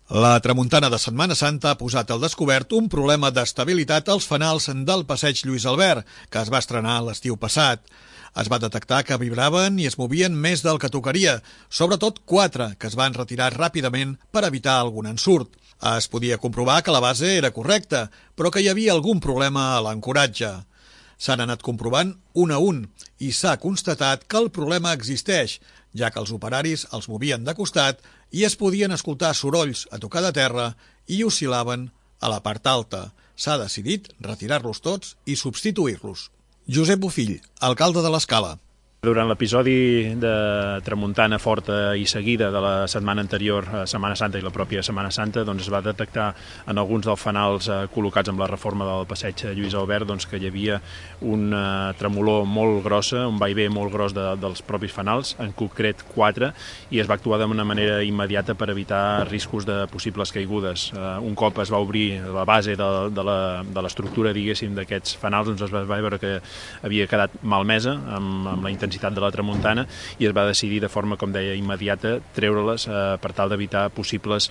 La tramuntana de Setmana Santa ha posat al descobert un problema d'estabilitat als fanals del passeig Lluís Albert, que es va estrenar l'estiu passat. Es va detectar que vibraven i es movien més del que tocaria, sobretot 4, que es van retirar ràpidament per evitar algun ensurt. Es podia comprovar que la base era correcta, però que hi havia algun problema a l'ancoratge. S'han anat comprovant un a un i s'ha constatat que el problema existeix, ja que els operaris els movien de costat i es podien escoltar sorolls a tocar de terra i oscil·laven a la part alta. S'ha decidit retirar-los tots i substituir-los. Josep Bofill, alcalde de l'Escala. Durant l'episodi de tramuntana forta i seguida de la setmana anterior, Setmana Santa i la pròpia Setmana Santa, es va detectar en alguns dels fanals col·locats amb la reforma del passeig Lluís Albert que hi havia una tremolor molt grossa, un vaivé molt gros dels propis fanals, en concret 4, i es va actuar d'una manera immediata per evitar riscos de possibles caigudes. Un cop es va obrir la base de l'estructura, diguéssim, d'aquests fanals, es va veure que havia quedat malmesa amb la intensitat de la tramuntana i es va decidir de forma, com deia, immediata treure-les per tal d'evitar possibles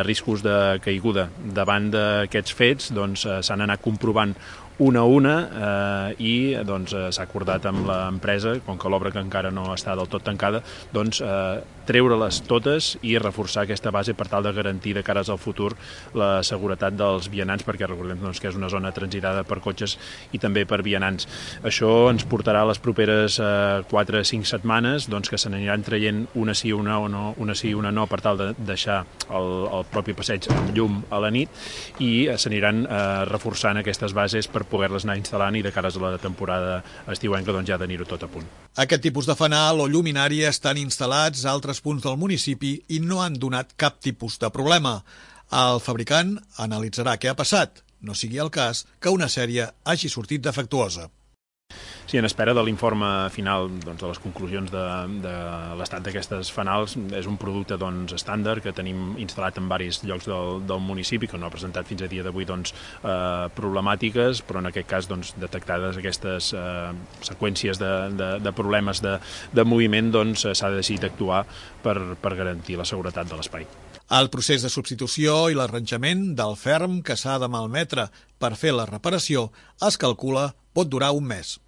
riscos de caiguda. Davant d'aquests fets s'han anat comprovant una a una i s'ha acordat amb l'empresa, com que l'obra que encara no està del tot tancada, treure-les totes i reforçar aquesta base per tal de garantir de cares al futur la seguretat dels vianants, perquè recordem que és una zona transitada per cotxes i també per vianants. Això ens portarà a les properes 4 o 5 setmanes que se n'aniran traient una sí, una no, una sí, una no, per tal de deixar el propi passeig amb llum a la nit i s'aniran reforçant aquestes bases per poder-les anar instal·lant i de cares a la temporada estiuenca ja tenir-ho tot a punt. Aquest tipus de fanal o lluminària estan instal·lats a altres punts del municipi i no han donat cap tipus de problema. El fabricant analitzarà què ha passat, no sigui el cas que una sèrie hagi sortit defectuosa. Sí, en espera de l'informe final de les conclusions de l'estat d'aquestes fanals. És un producte estàndard que tenim instal·lat en diversos llocs del municipi, que no ha presentat fins a dia d'avui problemàtiques, però en aquest cas detectades aquestes seqüències de problemes de moviment, s'ha decidit actuar per garantir la seguretat de l'espai. El procés de substitució i l'arranjament del ferm que s'ha de malmetre per fer la reparació es calcula pot durar un mes.